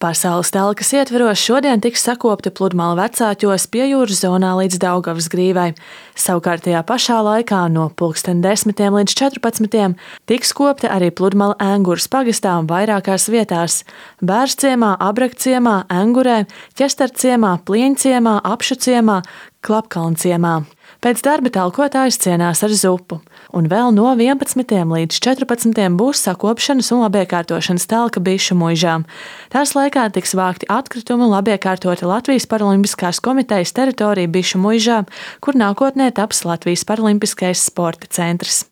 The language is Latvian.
Pasaules telkas ietveros šodien tiks sakopti pludmale Vecāķos pie jūras zonā līdz Daugavas grīvai. Savukārt tajā pašā laikā no 10 līdz 14 tiks kopti arī pludmale Enguras pagastā vairākās vietās – Bērzciemā, Abrakciemā, Engurē, Ķestarciemā, Plieņciemā, Apšuciemā, Klapkalnciemā. Pēc darba talkotājs cienās ar zupu, un vēl no 11 līdz 14 būs sakopšanas un labiekārtošanas telka Bišu muižām. Tās laikā tiks vākti atkritumi un labiekārtoti Latvijas Paralimpiskās komitejas teritorija Bišu muižā, kur nākotnē taps Latvijas Paralimpiskais sporta centrs.